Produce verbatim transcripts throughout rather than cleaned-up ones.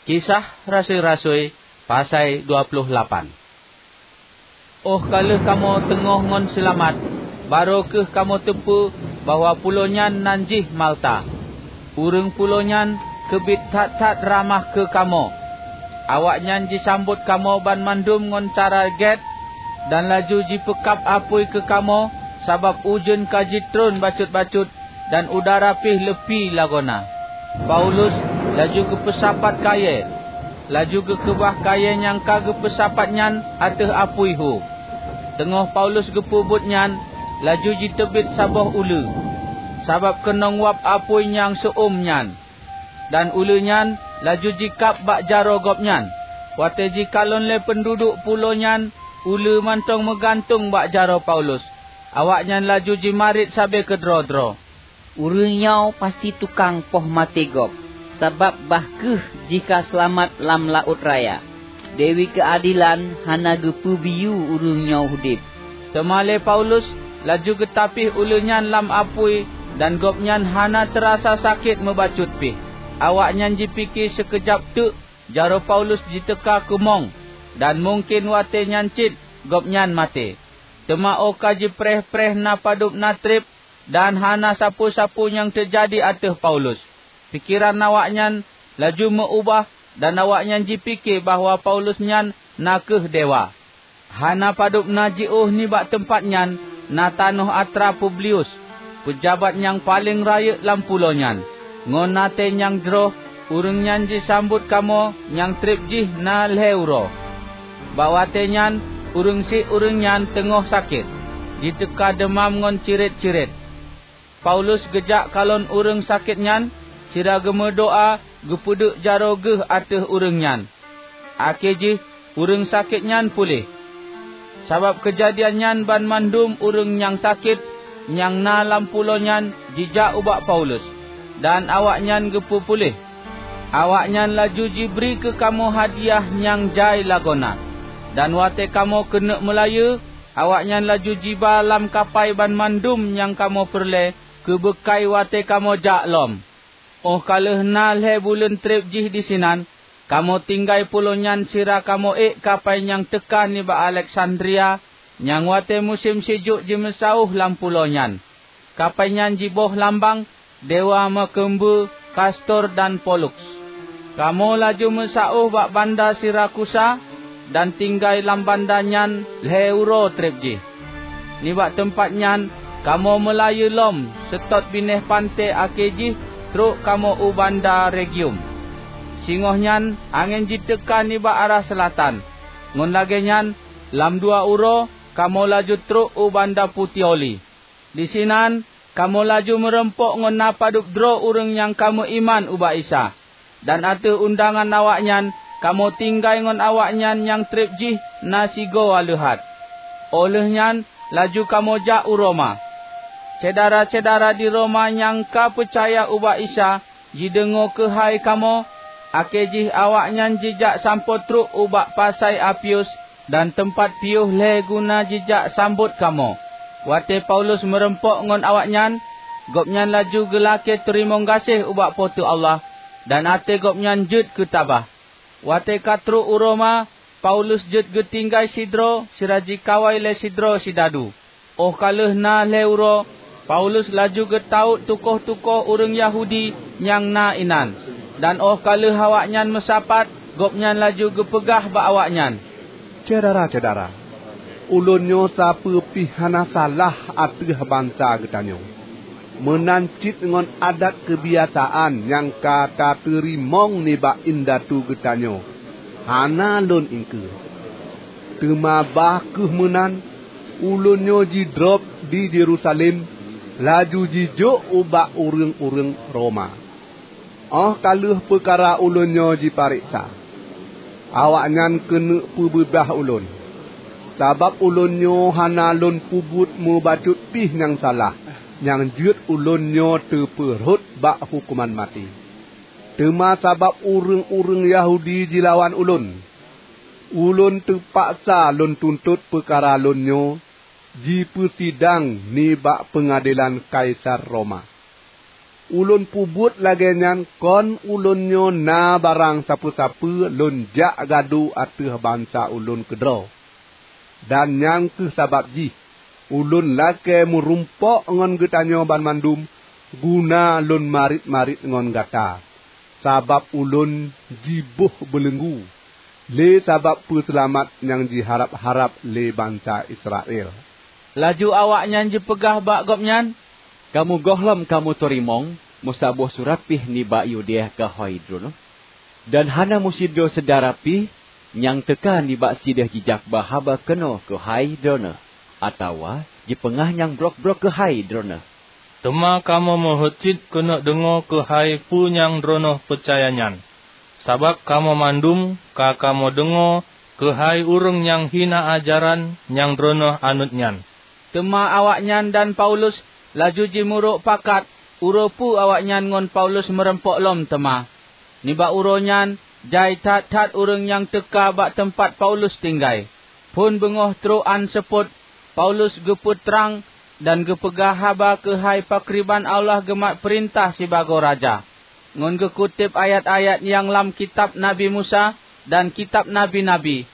Kisah Rasui-rasui, pasai dua ploh lapan. Óh ka lheueh kamoe teungoh ngon seulamat, barô kheueh kamoe teupeue bahwa pulo nyan nan jih Malta. Ureuëng pulo nyan keubiet that-that ramah keu kamoe. Awaknyan jisambot kamoe banmandum ngon cara gét, dan laju jipeukab apui keu kamoe, sabab ujeuen ka jitron bacut-bacut dan udara pih leupie lagoena. Paulus laju geupeusapat kayée, laju geukeubah kayée nyang ka geupeusapat nyan ateueh apui hu. Teungoh Paulus geupeubuet nyan, laju jiteubiet saboh uleue, sabab keunong wab apui nyang seu-uem nyan, dan uleue nyan laju jikab bak jaroe gobnyan. Watée jikalon lé peunduduek pulo nyan, uleue mantong meugantung bak jaroe Paulus. Awaknyan laju jimarit sabe keudroe-droe, "Ureuëng nyoe pasti tukang poh maté gob, sabab bah kheueh jih ka seulamat lam laôt raya. Dewi Keuadelan hana geupeubiyeu ureuëng nyoe udeb." Teuma lé Paulus laju geutapih uleue nyan lam apui, dan gobnyan hana teurasa sakét meubacut pih. Awaknyan jipike sikeujab teuk jaroe Paulus jiteuka keumong, dan mungken watée nyan cit gobnyan maté. Teuma óh ka jipreh-preh na padub na treb, dan hana sapeue-sapeue nyang teujadi ateueh Paulus. Pikeran awaknyan laju meu-ubah, dan awaknyan jipike bahwa Paulus nyan na kheueh dewa. Hana padub na jiôh nibak teumpat nyan na tanoh atra Publius, peujabat nyang paleng rayeuk lam pulo nyan. Ngon até nyang jroh, ureuëng nyan jisambot kamoe nyang treb jih na lhée uroe. Bak watée nyan, ureuëng syiek ureuëng nyan teungoh sakét, jiteuka deumam ngon cirét-cirét. Paulus geujak kalon ureuëng sakét nyan, sira geumeudoá geupeuduek jaroe geuh ateueh ureuëng nyan. Akhé jih, ureuëng sakét nyan puléh. Sabab keujadian nyan, banmandum ureuëng nyang sakét nyang na lam pulo nyan jijak ubak Paulus, dan awaknyan geupeupuléh. Awaknyan laju jibri keu kamoe hadiah nyang jai lagoena. Dan watée kamoe keuneuk meulayeue, awaknyan laju jiba lam kapai banmandum nyang kamoe peureulée keu beukai watée kamoe jak lom. Óh ka lheueh na lhée buleuen treb jih disinan, kamoe tinggai pulo nyan sira kamoe ék kapai nyang teuka nibak Aleksandria, nyang watée musém sijuek jimeusauh lam pulo nyan. Kapai nyan jiboh lambang dewa meukeumbeue Kastor dan Poluks. Kamoe laju meusauh bak banda Sirakusa dan tinggai lam banda nyan lhée uroe treb jih. Nibak teumpat nyan kamoe meulayeue lom seutôt binéh panté, akhé jih trok kamoe u banda Regium. Singoh nyan angén jiteuka nibak arah seulatan. Ngon lagée nyan, lam dua uroe kamoe laju trok u banda Putioli. Disinan kamoe laju meurumpok ngon na padub droe ureuëng nyang ka meuiman ubak Isa, dan ateueh undangan awaknyan kamoe tinggai ngon awaknyan nyang treb jih na sigoe aleuhat. Óh lheueh nyan laju kamoe jak u Roma. Syedara-syedara di Roma nyang ka peucaya ubak Isa jideungoe keuhai kamoe, akhé jih awaknyan jijak sampoe trok ubak pasai Apius dan teumpat piôh lhée guna jijak sambot kamoe. Watée Paulus meurumpok ngon awaknyan, gobnyan laju geulakée teurimong gaséh ubak Po teu Allah, dan até gobnyan jeuet keutabah. Watée ka trok u Roma, Paulus jeuet geutinggai sidroe sira jikawai lé sidroe sidadu. Óh ka lheueh na lhée uroe, Paulus laju geutawök tukoh-tukoh ureuëng Yahudi nyang na inan, dan óh ka lheueh awaknyan meusapat, gobnyan laju geupeugah bak awaknyan, "Syedara-syedara, ulôn nyoe sapeue pih hana salah ateueh bansa geutanyoe. Meunan cit ngon adat keubiasaan nyang ka tateurimong nibak indatu geutanyoe hana lôn iengkeue. Teuma bah kheueh meunan, ulôn nyoe jidrob di Yerusalem, laju jijok ubak ureuëng-ureuëng Roma. Óh ka lheueh peukara ulôn nyoe jipareksa, awaknyan keuneuk peubeubah ulôn, sabab ulôn nyoe hana lôn peubuet meubacut pih nyang salah nyang jeuet ulôn nyoe teupeurhot bak huköman maté. Teuma sabab ureuëng-ureuëng Yahudi jilawan ulôn, ulôn teupaksa lôn tuntot peukara lôn nyoe jipeusidang nibak peungadelan Kaisar Roma." Ulôn peubuet lagée nyan kon ulôn nyoe na barang sapeue-sapeue lôn jak gadu ateueh bansa ulôn keudroe. Dan nyang kheueh sabab jih ulôn lakée meurumpok ngon geutanyoe banmandum guna lôn marit-marit ngon gata, sabab ulôn jiboh beuleunggu lé sabab peuseulamat nyang jiharab-harab lé bansa Israel." Laju awaknyan jipeugah bak gobnyan, "Kamoe gohlom kamoe teurimong meusaboh surat pih nibak Yudea keuhai droeneuh, dan hana meusidroe syedara pih nyang teuka nibak sideh jijak ba haba keunoe keuhai droeneuh, atawa jipeungah nyang brok-brok keuhai droeneuh. Teuma kamoe meuheuet cit keuneuk deungoe keuhai peue nyang droeneuh peucaya nyan, sabab kamoe mandum ka kamoe deungoe keuhai ureuëng nyang hina ajaran nyang droeneuh anut nyan." Teuma awaknyan dan Paulus laju jimurok pakat uroe peue awaknyan ngon Paulus meureumpok lom teuma. Nibak uroe nyan jai that-that ureuëng nyang teuka bak teumpat Paulus tinggai. Phon beungoh trok án seupôt, Paulus geupeutrang dan geupeugah haba keuhai pakriban Allah geumat peurintah sibagoe raja, ngon geukuteb ayat-ayat nyang lam kitab Nabi Musa dan kitab nabi-nabi.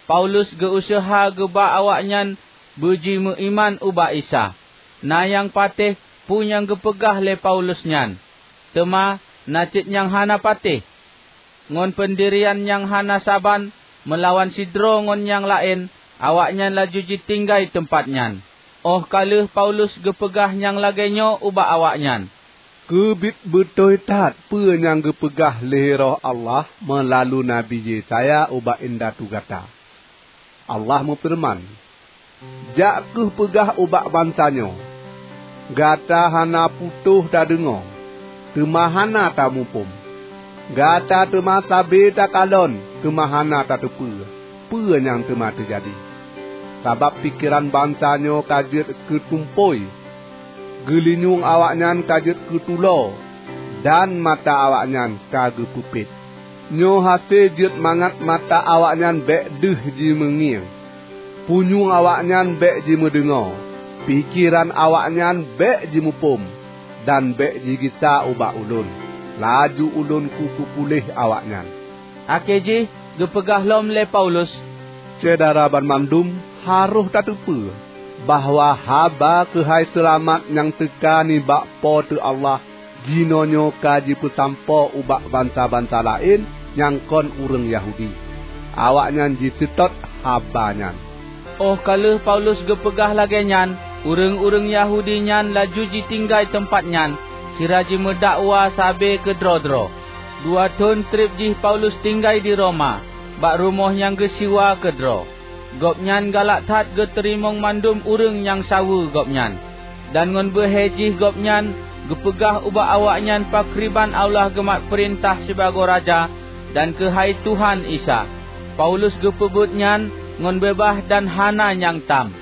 Paulus geu-useuha geuba awaknyan beujimeuiman ubak Isa. Na nyang patéh peue nyang geupeugah lé Paulus nyan, teuma na cit nyang hana patéh. Ngon peundirian nyang hana saban meulawan sidroe ngon nyang laén, awaknyan laju jitinggai teumpat nyan. Óh ka lheueh Paulus geupeugah nyang lagée nyoe ubak awaknyan, "Keubiet beutôi that peue nyang geupeugah lé Roh Allah meulalu Nabi Yesaya ubak indatu gata. Allah meufeureuman, 'Jak kheueh peugah ubak bansa nyoe: Gata hana putôh tadeungoe, teuma hana tamuphom. Gata teuma sabe takalon, teuma hana tateupeue peue nyang teuma teujadi. Sabab pikeran bansa nyoe ka jeuet keu tumpôi, geulinyueng awaknyan ka jeuet keu tulo, dan mata awaknyan ka geupeupet. Nyoe hase jeuet mangat mata awaknyan bék deuh jimeungieng, punyueng awaknyan bék jimeudeungoe, pikeran awaknyan bék jimuphom, dan bék jigisa ubak ulôn, laju ulôn kupeupuléh awaknyan.'" Akhé jih geupeugah lom lé Paulus, "Syedara banmandum harôh tateupeue bahwa haba keuhai seulamat nyang teuka nibak Po teu Allah jinoenyoe ka jipeusampoe ubak bansa-bansa laén nyang kon ureuëng Yahudi. Awaknyan jiseutôt haba nyan." Óh ka lheueh Paulus geupeugah lagée nyan, ureuëng-ureuëng Yahudi nyan laju jitinggai teumpat nyan, sira jimeudakwa sabe keudroe-droe. Dua thon treb jih Paulus tinggai di Roma, bak rumoh nyang geusiwa keudroe. Gobnyan galak that geuteurimong mandum ureuëng nyang saweue gobnyan. Dan ngon beuhe jih gobnyan geupeugah ubak awaknyan pakriban Allah geumat peurintah sibagoe raja dan keuhai Tuhan Isa. Paulus geupeubuet nyan ngon beubaih dan hana nyang tam.